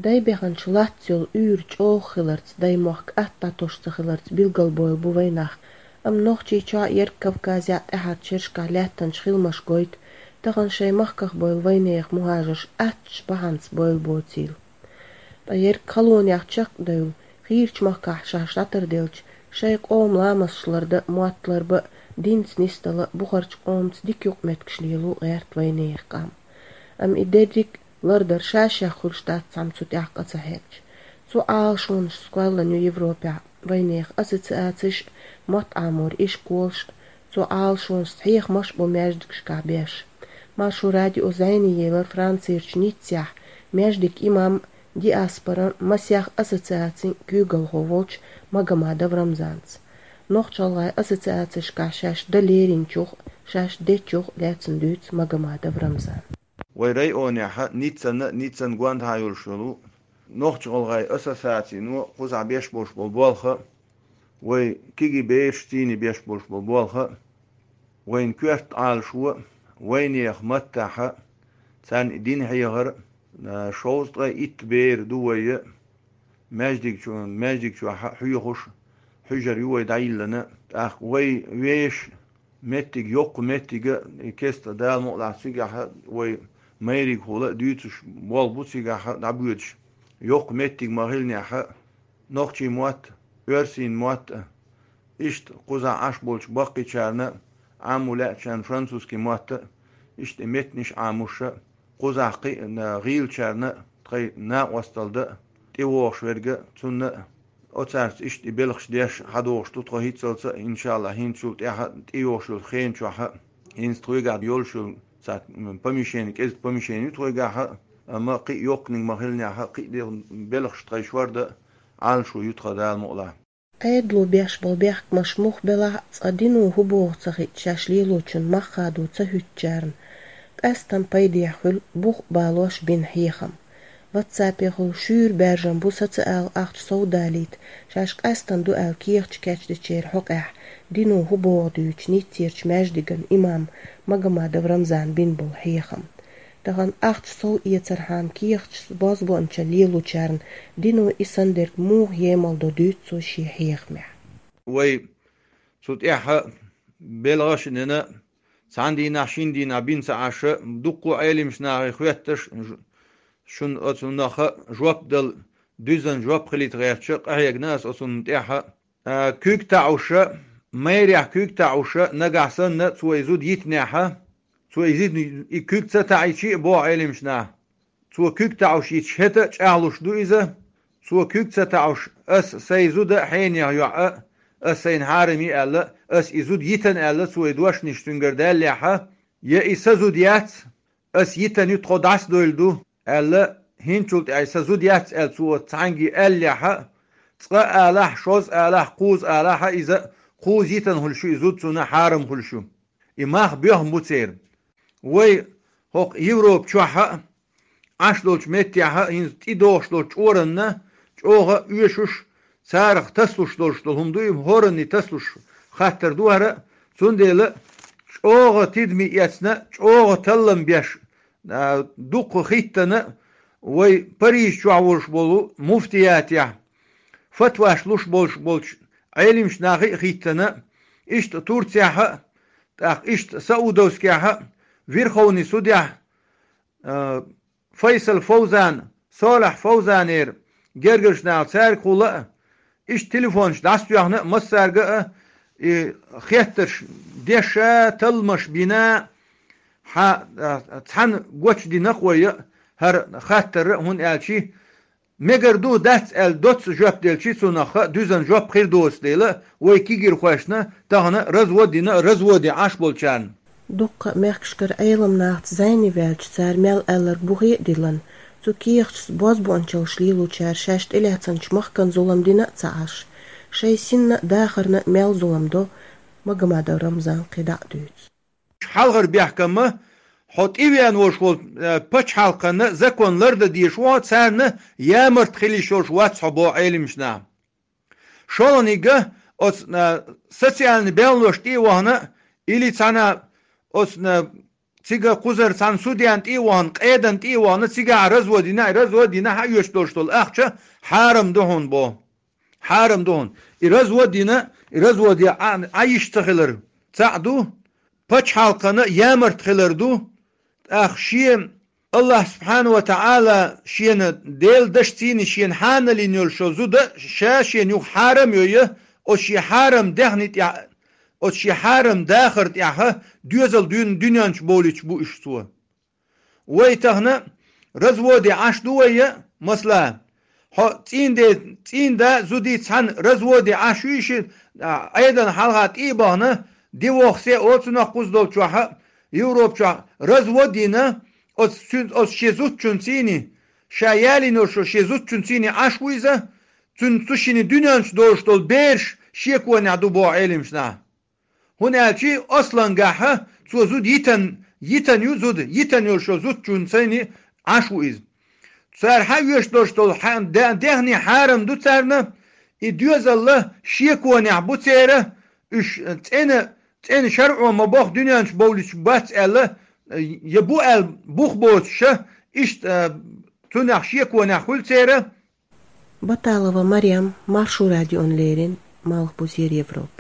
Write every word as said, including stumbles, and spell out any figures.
Дай беханчу лац йолу уьйр чӀогӀа хиларца, дай мохк атта тосуш ца хиларца билгал бойла бу вайнах. Амма Нохчийчохь, Ерг Кавказехь, тӀаьхьарчу шерашкахь лаьттанчу хиламаш гойту, тахана шайн махках бойла вайнехан мухӀажарш аттачу бахьанца бойла боцийла. Ткъа ерг халонех чекхдевлла, хийрачу махкахь шаьш дӀатарделча, шайн къоман ламасташ лардан, мотт ларбан, динца нисдала, бухарчу къомаца дика юкъаметтигаш лело гӀерта вайнехан къам. Амма и дерриг а лардар ша-шех хуьлуш дац цхьамма цу тӀехь къа ца хьегча. Цу Ӏалашонашца кхоьллина ю Европехь вайнехан ассоциацеш а, мотт Ӏаморан ишколаш а, цу Ӏалашонашца хьехамаш а бу маьждигашкахь беш. Маршо радио зӀене елира Францерчу Ниццехь маьждиган имам, диаспоран масех ассоциацин куьйгалхо волчу Магомадов Рамзанца. Нохч-гӀалгӀайн ассоциацешкахь шаьш дан леринчух а, шаьш дечух а лаьцна дуьйцу Магомадов Рамзана. Вай районехь а, Ниццана а, Ниццан гондахьа йолуш йолу Нохч-гӀалгӀайн ассоциацино кхузахь беш болуш болу болх а, вай кегий бераш цӀийне беш болуш болу болх а, вайн коьрта Ӏалашо а, вайнехан маттахь а, царна и дин хьехар а, шовзткъе итт бер ду вай а, маьждиг чу-, маьждиг чохь а хьоьхуш, хьуьжар ю вай дӀайиллина. ТӀаккха вай вешан меттиг, йоккха меттиг а, и кеста Дала мукъалахь цигахь а вай майригахула а дуьйцуш болх бу цигахь а дӀабоьдуш. Йоккха меттиг ма-хиллинехь а, нохчийн мотт а, оьрсийн мотт а, иштта кхузахь Ӏаш болчу баккхийчарна а, Ӏамо лаьачарна французский мотт а, иштта и меттанаш Ӏамош а, кхузахь кхиъна гӀийлачарна а тхайн накъосталла дан а, тӀевогӀуш верг а, цунна а, оцаьрца иштта и белхаш деш хьадогӀуш ду тхо хӀинццалц а, иншаллахӀ, хӀинцачул тӀаьхьа а, тӀейогӀуш йолу хенан чохь а, хӀинца тхоьгахь йолуш йолу цхьа, м, помещение, кӀезиг помещение ю тхоьгахь а, амма кхин а йоккханиг ма-хиллинехь а, кхин а де-, белхаш тхайн шордан а Ӏалашо ю тхан, Дала мукъалахь. Ӏедало беш болу бехкамаш муха белахь а, цкъа дино хӀун боху ца хиъча, шаьш лелочун мах хадо ца хӀуьттучарна къаьсттина пайдехь хуьлу бух а балош бина хьехам. Ватсапехула шуьйра баьржина бу социал ахча сов далийта, шаьш къаьсттина ду аьлла кехаташ кечдечеран хьокъехь, дино хӀун боху дуьйцу Ниццерчу маьждиган имам Магомадов Рамзана бина болу хьехам. Тахана ахча сов эцархьама кехаташ бозбуунчалла лелочарна дино и санна дерг муха емал до дуьйцу цо шен хьехамехь. Вай цу тӀехь а белхаш а дина, цхьана дийнахь, шина дийнахь бина ца Ӏаш а, дуккха а Ӏелимаш нахе хоьттуш, ж-, шуна оцунах а жоп дала, дуьззина жоп хилийта гӀерташ а къахьегна ас оцунна тӀехь а. А, куьг таӀуш а, майрехь куьг таӀуш а, нагахь санна цо и зуда йитинехь а, цо и зуда, и куьг ца таӀийча а, боху Ӏелимаш наха, цо куьг таӀуш йитча, хӀета а чӀагӀлуш ду иза, цо куьг ца таӀуш, ас сайн зуда а хьенех йоӀ а, ас сайна хьарам йи аьлла, ас и зуда йитина аьлла, цо и дошнаш цуьнгара даьллехь а, я и сан зуда яц, ас йитина ю, тхо дӀасадойла ду, аьлла, хӀинцачул тӀаьхьа сан зуда яц аьлла, цо цхьаьнгге аьллехь а, цкъа а алахь, шозза а алахь, кхузза а алахь а, иза кхузза йитина хуьлуш ю, и зуда цунна хьарам хуьлуш ю. И мах боьхна бу церан. Вай хӀокху Европа чохь а, Ӏаш долчу меттехь а, хӀинца тӀедогӀуш долчу чкъоранна чӀогӀа а оьшуш, царах тасалуш долуш долу хӀума ду и, хӀоранна тасалуш хаттар ду хӀара а, цундела чӀогӀа тидаме эцна, чӀогӀа таллам беш, а, дуккха хӀиттана, вай Париж чохь волуш болу муфтиятехь фатваш луш болуш болчу Ӏелимаш нахе а хӀиттана, иштта Турцехь а, тӀаккха иштта Саудовскехь а, Верховный судехь, а, Файсал Фовзан, Солахь Фовзанера гергарчу наха цаьргахула а, иштта телефонаш дӀасатоьхна а, массаьрга а, и хеттарш деш а, талламаш бина а, хьан, а, цхьаьна гочдина-кх вай а хӀара хаттар а, хӀунда аьлча мегар ду, дац аьлла доцца жоп делчи, цунах а дуьззина жоп хир доцу дела, вай кегийрхошна тахана развод дина а, разводе Ӏаш болчарна. Дуккха а мехкашкара Ӏелам нахаца зӀене ваьлча, цара мел аьлларг бухе а диллина, цу кехаташца бозбуунчаллаш лелочара шаьш тӀелаьцначу махкана зулам дина а ца Ӏаш, шайн синна а, дахарна а мел зулам до, Магомадов Рамзана кхин дӀа а дуьйцу. Хьалхара бехкамма, хьо тӀевеана волуш волу, э, пачхьалкхана закон лардан дезаш ву хьо, царна ямарта хила йиш йолуш вац хьо, боху Ӏелимаш наха. ШолгӀаниг а, оцу, э, социальный белхалошна тӀе а вахана, или цхьана оцу, э, цига кхузара цхьана судьяна тӀе а вахана, къедана тӀе а вахана, цигахь развод йина, и развод йина хьаоьцуш долуш долу ахча хьарам ду хьуна бо. Хьарам ду хьуна. И развод йина, и развод я Ӏа, Ӏа йиш ца хилар цхьаъ ду, пачхьалкхана ямарт хилар ду, тӀаккха шен Аллах субхьана ва таӀала шена Делан дашцийна шена хьанал йина йолуш йолу зуда ша шена юха хьарам йо я, оцу шен хьарам даьхни тӀехь, оцу шен хьарам дахар тӀехь доьзал дуьйна дуьненчу бовлуьйтуш бу уьш цо. Вай тахана разводе Ӏаш ду вай я, масала, хьо цӀийнде, цӀийнда зудий цхьаьна разводе Ӏаш ю и ши, а, Ӏедална хьалха тӀе а бахана, дивохсе оцунах кхуза долчохь а, Европа чохь развод йина, оцу цуьнца, оцу шен зудчунцийна, ша ялийна йолуш йолу шен зудчунцийна Ӏаш ву иза, цуьнан цу шинна дуьненчу долуш долу бераш шеконехь ду боху Ӏелимаш нах. ХӀунда аьлча аслангахьа цо зуда йитан, йитан ю зуда, йитан йолуш йолу зудчунцийна Ӏаш ву иза. Цара хьаоьцуш долуш долу хьа-, де-, дехне хьарам ду царна, и доьзалла шеконехь бу церан, уьш цӀена, цӀена шарӀо ма боху дуьненчу бовлуьйтуш бац аьлла, я бу аьлла бух боцуша, иштта, цунах шеконехь хуьлу церан. Баталова Марем, Маршо радиона леррина, Малхбузера Европа.